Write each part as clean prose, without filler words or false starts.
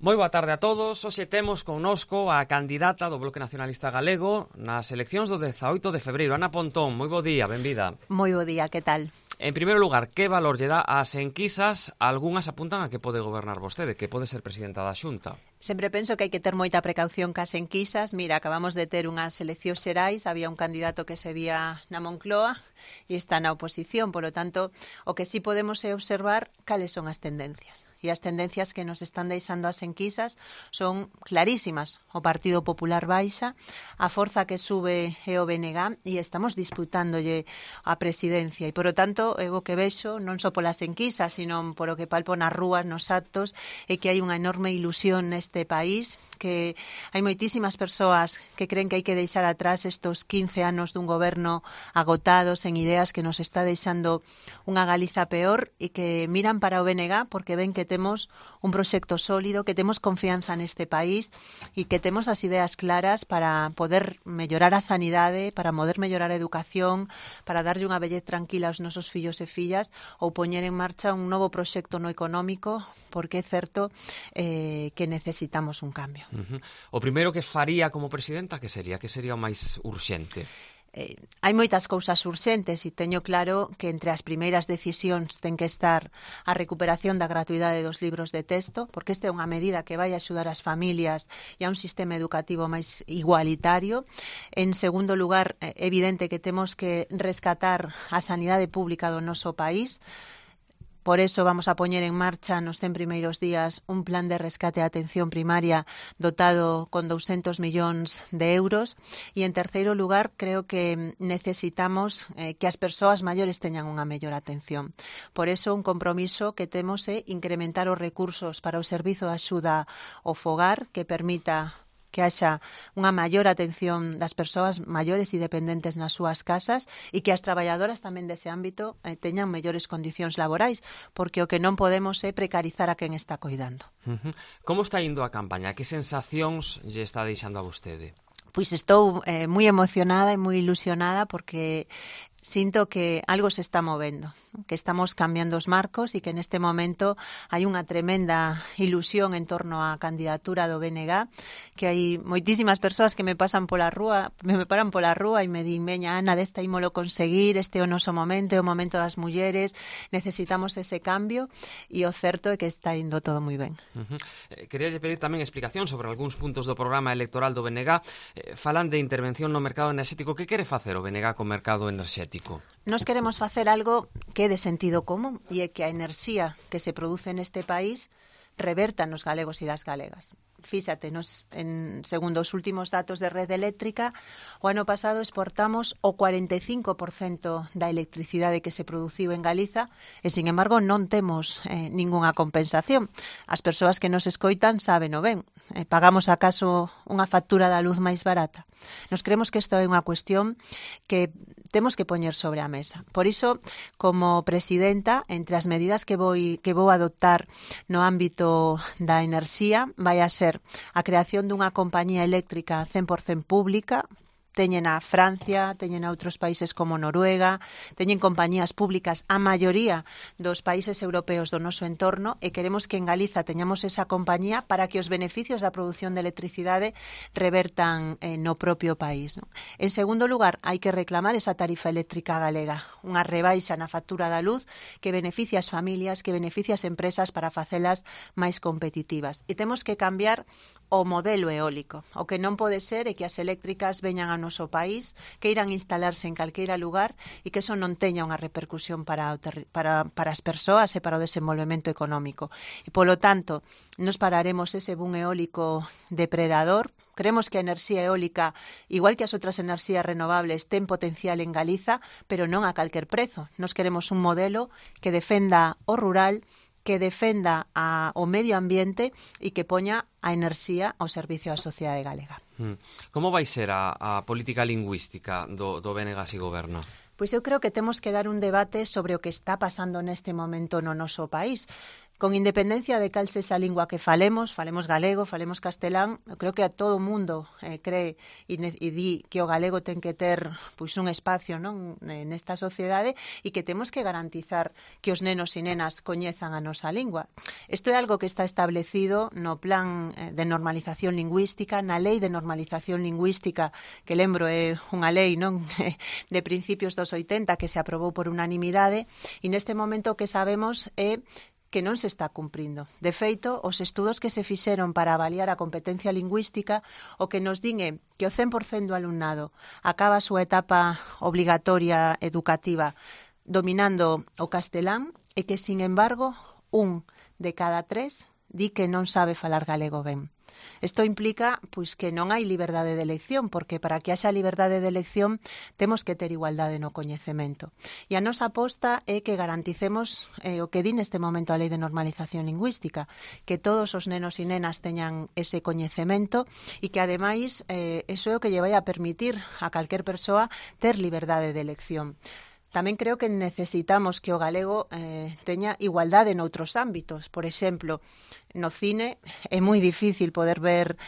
Moi boa tarde a todos. Hoxe temos connosco a candidata do Bloque Nacionalista Galego nas eleccións do 18 de febreiro, Ana Pontón. Moi bo día, benvida. Moi bo día, que tal? En primeiro lugar, que valor lle dá ás enquisas? Algúnas apuntan a que pode gobernar vostede, que pode ser presidenta da Xunta. Sempre penso que hai que ter moita precaución cas enquisas. Mira, acabamos de ter unhas eleccións xerais, había un candidato que se vía na Moncloa e está na oposición, polo tanto, o que sí podemos é observar cales son as tendencias. E as tendencias que nos están deixando as enquisas son clarísimas. O Partido Popular baixa, a forza que sube é o BNG e estamos disputándolle a presidencia. E, por o tanto, o que vexo non só polas enquisas, sino por o que palpo nas rúas, nos actos, é que hai unha enorme ilusión neste país, que hai moitísimas persoas que creen que hai que deixar atrás estos 15 anos dun goberno agotados en ideas que nos está deixando unha Galiza peor e que miran para o BNG porque ven que temos un proxecto sólido, que temos confianza neste país e que temos as ideas claras para poder mellorar a sanidade, para poder mellorar a educación, para darlle unha vellez tranquila aos nosos fillos e fillas ou poñer en marcha un novo proxecto no económico, porque é certo que necesitamos un cambio. O primeiro que faría como presidenta, que sería o máis urxente? Hai moitas cousas urxentes e teño claro que entre as primeiras decisións ten que estar a recuperación da gratuidade dos libros de texto, porque esta é unha medida que vai axudar as familias e a un sistema educativo máis igualitario. En segundo lugar, é evidente que temos que rescatar a sanidade pública do noso país. Por eso vamos a poñer en marcha nos 100 primeiros días un plan de rescate e atención primaria dotado con 200 millóns de euros. E en terceiro lugar, creo que necesitamos que as persoas maiores teñan unha mellor atención. Por eso un compromiso que temos é incrementar os recursos para o servizo de axuda ao fogar que permita que haxa unha maior atención das persoas maiores e dependentes nas súas casas e que as traballadoras tamén dese ámbito teñan mellores condicións laborais, porque o que non podemos é precarizar a quen está coidando. Como está indo a campaña? Que sensacións lle está deixando a vostede? Pois estou moi emocionada e moi ilusionada porque sinto que algo se está movendo, que estamos cambiando os marcos e que neste momento hai unha tremenda ilusión en torno á candidatura do BNG, que hai moitísimas persoas que me paran pola rúa e me din, veña Ana, desta ímolo conseguir, este é o noso momento, é o momento das mulleres, necesitamos ese cambio e o certo é que está indo todo moi ben. Queríalle pedir tamén explicación sobre algúns puntos do programa electoral do BNG. Falan de intervención no mercado enerxético. Que quere facer o BNG co mercado enerxético? Nos queremos facer algo que é de sentido común e é que a enerxía que se produce neste país reverta nos galegos e das galegas. Fíxate, segundo os últimos datos de Rede Eléctrica, o ano pasado exportamos o 45% da electricidade que se produciu en Galiza e, sin embargo, non temos ningunha compensación. As persoas que nos escoitan saben o ben. Pagamos acaso unha factura da luz máis barata? Nos creemos que isto é unha cuestión que temos que poñer sobre a mesa. Por iso, como presidenta, entre as medidas que vou adoptar no ámbito da enerxía, vai a ser a creación dunha compañía eléctrica 100% pública. Teñen a Francia, teñen a outros países como Noruega, teñen compañías públicas a maioría dos países europeos do noso entorno e queremos que en Galiza teñamos esa compañía para que os beneficios da produción de electricidade revertan no propio país. En segundo lugar, hai que reclamar esa tarifa eléctrica galega, unha rebaixa na factura da luz que beneficia as familias, que beneficia as empresas para facelas máis competitivas. E temos que cambiar o modelo eólico. O que non pode ser é que as eléctricas veñan a noso país, que irán instalarse en calqueira lugar e que eso non teña unha repercusión para as persoas e para o desenvolvemento económico. E, polo tanto, nos pararemos ese boom eólico depredador. Creemos que a enerxía eólica, igual que as outras enerxías renovables, ten potencial en Galiza, pero non a calquer prezo. Nos queremos un modelo que defenda o rural, que defenda o medio ambiente e que poña a enerxía ao servicio da sociedade galega. Como vai ser a política lingüística do BNG se goberna? Pois eu creo que temos que dar un debate sobre o que está pasando neste momento no noso país. Con independencia de cal sexa a lingua que falemos galego, falemos castelán, eu creo que a todo o mundo cree e di que o galego ten que ter pois un espacio, non, nesta sociedade, e que temos que garantizar que os nenos e nenas coñezan a nosa lingua. Isto é algo que está establecido no plan de normalización lingüística, na lei de normalización lingüística, que lembro é unha lei, non, de principios dos 80 que se aprobou por unanimidade, e neste momento o que sabemos é que non se está cumprindo. De feito, os estudos que se fixeron para avaliar a competencia lingüística o que nos din é que o 100% do alumnado acaba a súa etapa obligatoria educativa dominando o castelán e que, sin embargo, 1 de cada 3 di que non sabe falar galego ben. Isto implica pois que non hai liberdade de elección, porque para que haxa liberdade de elección temos que ter igualdade no coñecemento. E a nosa aposta é que garanticemos o que di neste momento a Lei de Normalización Lingüística, que todos os nenos e nenas teñan ese coñecemento e que, ademais, eso é o que lle vai a permitir a calquer persoa ter liberdade de elección. Tamén creo que necesitamos que o galego teña igualdade noutros ámbitos. Por exemplo, no cine é moi difícil poder ver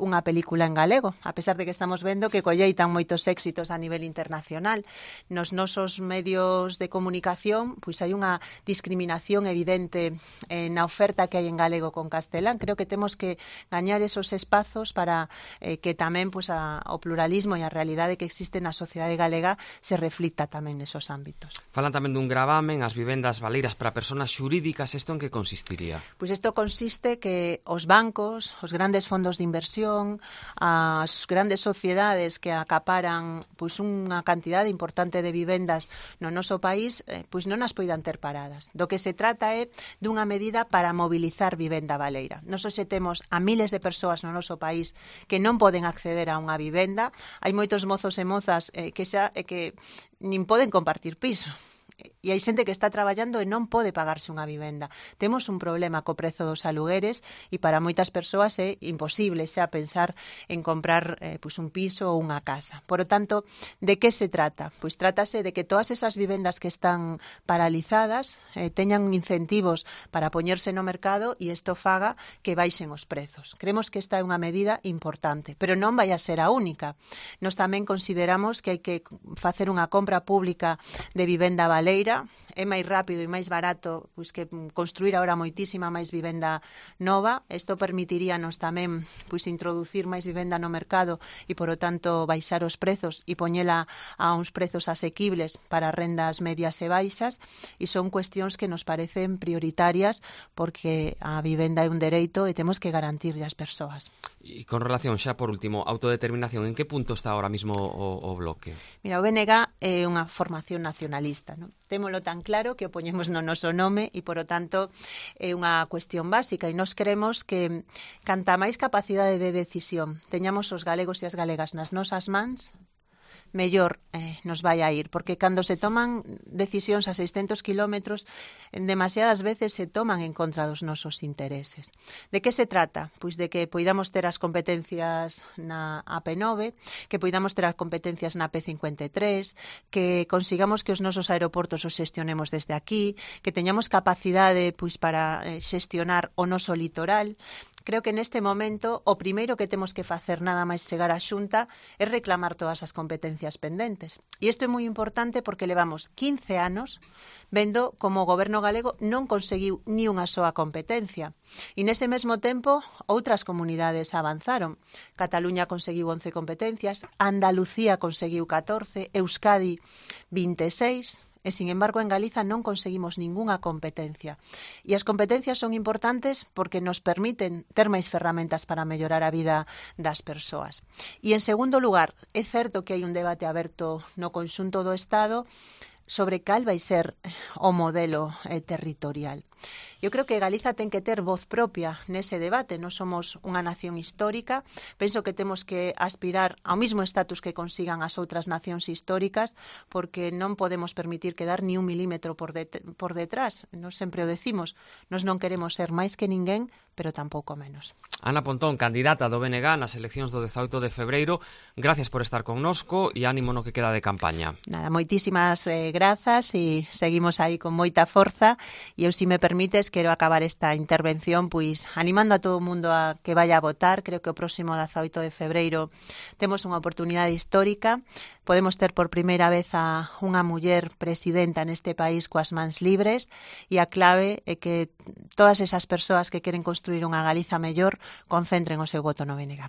unha película en galego, a pesar de que estamos vendo que colleitan moitos éxitos a nivel internacional. Nos nosos medios de comunicación pois hai unha discriminación evidente na oferta que hai en galego con castelán. Creo que temos que gañar esos espazos para que tamén pois, o pluralismo e a realidade que existe na sociedade galega se reflicta tamén nesos ámbitos. Falan tamén dun gravamen, as vivendas baleiras para persoas xurídicas. Isto en que consistiría? Pois isto consiste que os bancos, os grandes fondos de inversión, as grandes sociedades que acaparan pois unha cantidade importante de vivendas no noso país, pois non as poidan ter paradas. Do que se trata é dunha medida para mobilizar vivenda baleira. Nos hoxe temos a miles de persoas no noso país que non poden acceder a unha vivenda. Hai moitos mozos e mozas que nin poden compartir piso. E hai xente que está traballando e non pode pagarse unha vivenda. Temos un problema co prezo dos alugueres e para moitas persoas é imposible xa pensar en comprar pois un piso ou unha casa. Por lo tanto, de que se trata? Pois trátase de que todas esas vivendas que están paralizadas teñan incentivos para poñerse no mercado e isto faga que baixen os prezos. Creemos que esta é unha medida importante, pero non vai a ser a única. Nos tamén consideramos que hai que facer unha compra pública de vivenda baleira. É máis rápido e máis barato pois que construir agora moitísima máis vivenda nova. Isto permitiríanos tamén pois introducir máis vivenda no mercado e, por o tanto, baixar os prezos e poñela a uns prezos asequibles para rendas medias e baixas, e son cuestións que nos parecen prioritarias porque a vivenda é un dereito e temos que garantirlle ás persoas. E con relación, xa por último, autodeterminación, en que punto está ahora mismo o bloque? Mira, o BNG é unha formación nacionalista, non? Témolo tan claro que o poñemos no noso nome e, por o tanto, é unha cuestión básica e nós queremos que canta máis capacidade de decisión teñamos os galegos e as galegas nas nosas mans, mellor nos vai a ir, porque cando se toman decisións a 600 kilómetros, demasiadas veces se toman en contra dos nosos intereses. De que se trata? Pois de que poidamos ter as competencias na AP9, que poidamos ter as competencias na P53, que consigamos que os nosos aeroportos os xestionemos desde aquí, que teñamos capacidade pois para xestionar o noso litoral. Creo que neste momento o primeiro que temos que facer nada máis chegar á Xunta é reclamar todas as competencias pendentes. E isto é moi importante porque levamos 15 anos vendo como o goberno galego non conseguiu ni unha soa competencia. E nese mesmo tempo outras comunidades avanzaron. Cataluña conseguiu 11 competencias, Andalucía conseguiu 14, Euskadi 26... E, sin embargo, en Galiza non conseguimos ningunha competencia. E as competencias son importantes porque nos permiten ter máis ferramentas para mellorar a vida das persoas. E, en segundo lugar, é certo que hai un debate aberto no conxunto do Estado sobre cal vai ser o modelo territorial. Eu creo que Galiza ten que ter voz propia nese debate. Nós somos unha nación histórica. Penso que temos que aspirar ao mismo estatus que consigan as outras nacións históricas, porque non podemos permitir quedar ni un milímetro por detrás. Nós sempre o decimos. Nós non queremos ser máis que ninguén, pero tampouco menos. Ana Pontón, candidata do BNG nas eleccións do 18 de febreiro, gracias por estar connosco e ánimo no que queda de campaña. Nada, moitísimas grazas e seguimos aí con moita forza e eu, se me permites, quero acabar esta intervención pois animando a todo o mundo a que vaya a votar. Creo que o próximo 18 de febreiro temos unha oportunidade histórica. Podemos ter por primeira vez a unha muller presidenta neste país coas mans libres e a clave é que todas esas persoas que queren construir unha Galiza mellor concentren o seu voto no BNG.